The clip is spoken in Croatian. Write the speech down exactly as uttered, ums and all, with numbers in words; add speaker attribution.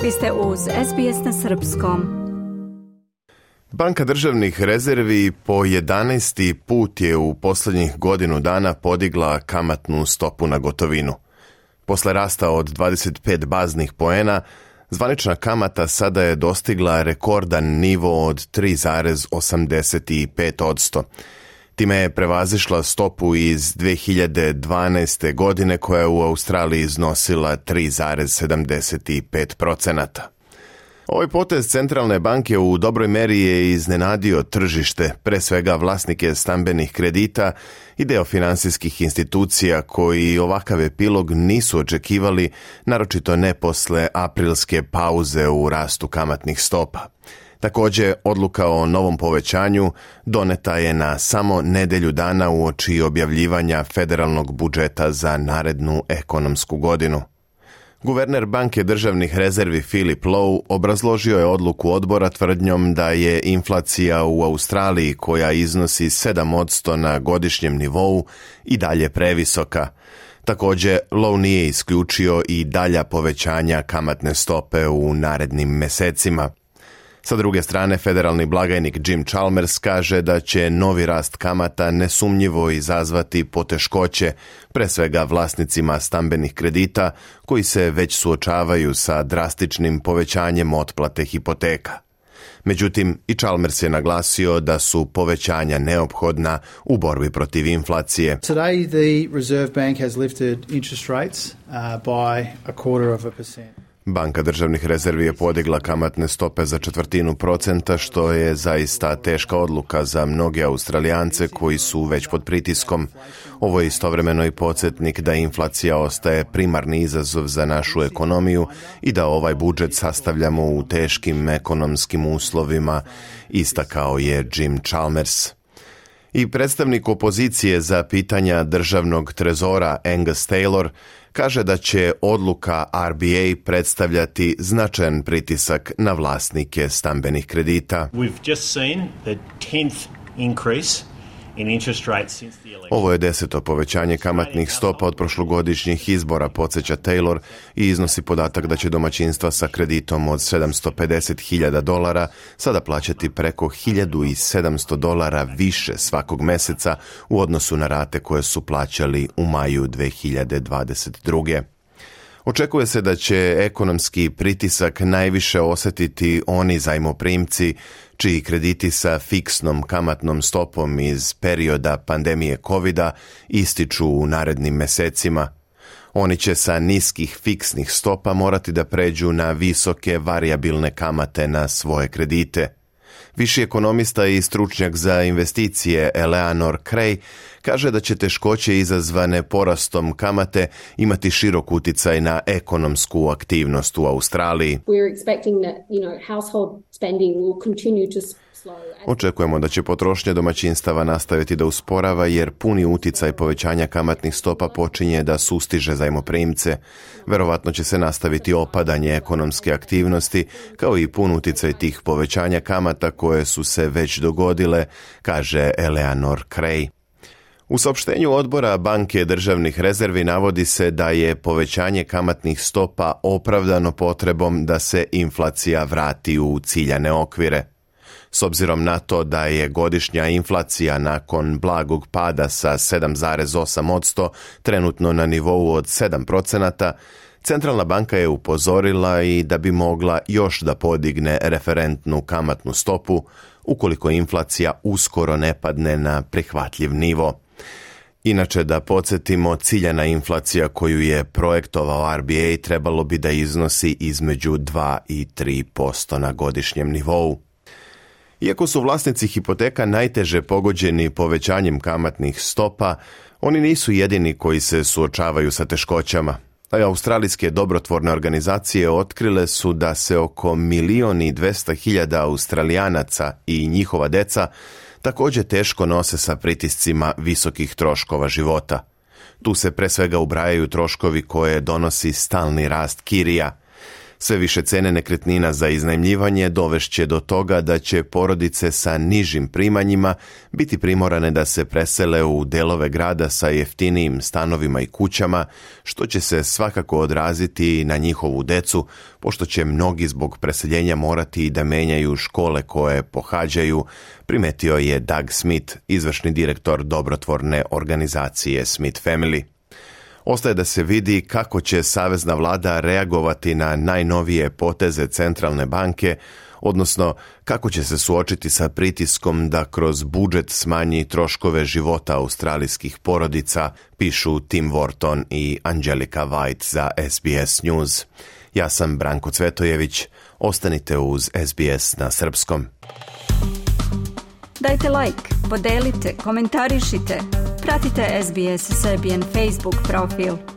Speaker 1: Vi ste uz S B S na srpskom.
Speaker 2: Banka državnih rezervi po jedanaesti put je u posljednjih godinu dana podigla kamatnu stopu na gotovinu. Posle rasta od dvadeset pet baznih poena, zvanična kamata sada je dostigla rekordan nivo od tri zarez osamdeset pet posto. Time je prevazišla stopu iz dve hiljade dvanaeste. godine koja je u Australiji iznosila tri zarez sedamdeset pet posto. Ovaj potez centralne banke u dobroj meri je iznenadio tržište, pre svega vlasnike stambenih kredita i deo finansijskih institucija koji ovakav epilog nisu očekivali, naročito ne posle aprilske pauze u rastu kamatnih stopa. Također, odluka o novom povećanju doneta je na samo nedelju dana uoči objavljivanja federalnog budžeta za narednu ekonomsku godinu. Guverner banke državnih rezervi Philip Lowe obrazložio je odluku odbora tvrdnjom da je inflacija u Australiji, koja iznosi sedam posto na godišnjem nivou, i dalje previsoka. Također, Lowe nije isključio i dalja povećanja kamatne stope u narednim mesecima. Sa druge strane, federalni blagajnik Jim Chalmers kaže da će novi rast kamata nesumnjivo izazvati poteškoće, pre svega vlasnicima stambenih kredita koji se već suočavaju sa drastičnim povećanjem otplate hipoteka. Međutim, i Chalmers je naglasio da su povećanja neophodna u borbi protiv inflacije.
Speaker 3: Today the Reserve Bank has lifted interest rates uh, by a quarter of a percent.
Speaker 2: Banka državnih rezervi je podigla kamatne stope za četvrtinu procenta, što je zaista teška odluka za mnoge Australijance koji su već pod pritiskom. Ovo je istovremeno i podsjetnik da inflacija ostaje primarni izazov za našu ekonomiju i da ovaj budžet sastavljamo u teškim ekonomskim uslovima, istakao je Jim Chalmers. I predstavnik opozicije za pitanja državnog trezora Angus Taylor kaže da će odluka R B A predstavljati značajan pritisak na vlasnike stambenih kredita.
Speaker 4: We've just seen the tenth increase in interest rates since the election.
Speaker 2: Ovo je deseto povećanje kamatnih stopa od prošlogodišnjih izbora, podsjeća Taylor, i iznosi podatak da će domaćinstva sa kreditom od sedamsto pedeset hiljada dolara sada plaćati preko hiljadu sedamsto dolara više svakog meseca u odnosu na rate koje su plaćali u maju dve hiljade dvadeset druge. Očekuje se da će ekonomski pritisak najviše osjetiti oni zajmoprimci čiji krediti sa fiksnom kamatnom stopom iz perioda pandemije kovida ističu u narednim mesecima. Oni će sa niskih fiksnih stopa morati da pređu na visoke varijabilne kamate na svoje kredite. Viši ekonomista i stručnjak za investicije Eleanor Creagh kaže da će teškoće izazvane porastom kamate imati širok uticaj na ekonomsku aktivnost u Australiji. Očekujemo da će potrošnja domaćinstava nastaviti da usporava jer puni uticaj povećanja kamatnih stopa počinje da sustiže zajmoprimce. Verovatno će se nastaviti opadanje ekonomske aktivnosti kao i pun uticaj tih povećanja kamata koje su se već dogodile, kaže Eleanor Creagh. U saopštenju odbora Banke državnih rezervi navodi se da je povećanje kamatnih stopa opravdano potrebom da se inflacija vrati u ciljane okvire. S obzirom na to da je godišnja inflacija nakon blagog pada sa sedam zarez osam posto trenutno na nivou od sedam procenata, Centralna banka je upozorila i da bi mogla još da podigne referentnu kamatnu stopu ukoliko inflacija uskoro ne padne na prihvatljiv nivo. Inače, da podsjetimo, ciljana inflacija koju je projektovao R B A trebalo bi da iznosi između dva i tri posto na godišnjem nivou. Iako su vlasnici hipoteka najteže pogođeni povećanjem kamatnih stopa, oni nisu jedini koji se suočavaju sa teškoćama. Australijske dobrotvorne organizacije otkrile su da se oko milion i dvesta hiljada Australijanaca i njihova deca također teško nose sa pritiscima visokih troškova života. Tu se pre svega ubrajaju troškovi koje donosi stalni rast kirija. Sve više cene nekretnina za iznajmljivanje dovešće do toga da će porodice sa nižim primanjima biti primorane da se presele u delove grada sa jeftinijim stanovima i kućama, što će se svakako odraziti na njihovu decu, pošto će mnogi zbog preseljenja morati da menjaju škole koje pohađaju, primetio je Doug Smith, izvršni direktor dobrotvorne organizacije Smith Family. Ostaje da se vidi kako će savezna vlada reagovati na najnovije poteze centralne banke, odnosno kako će se suočiti sa pritiskom da kroz budžet smanji troškove života australijskih porodica, pišu Tim Wharton i Angelika White za S B S News. Ja sam Branko Cvetojević, ostanite uz S B S na srpskom.
Speaker 1: Dajte like, podelite, komentarišite, pratite S B S Serbian Facebook profil.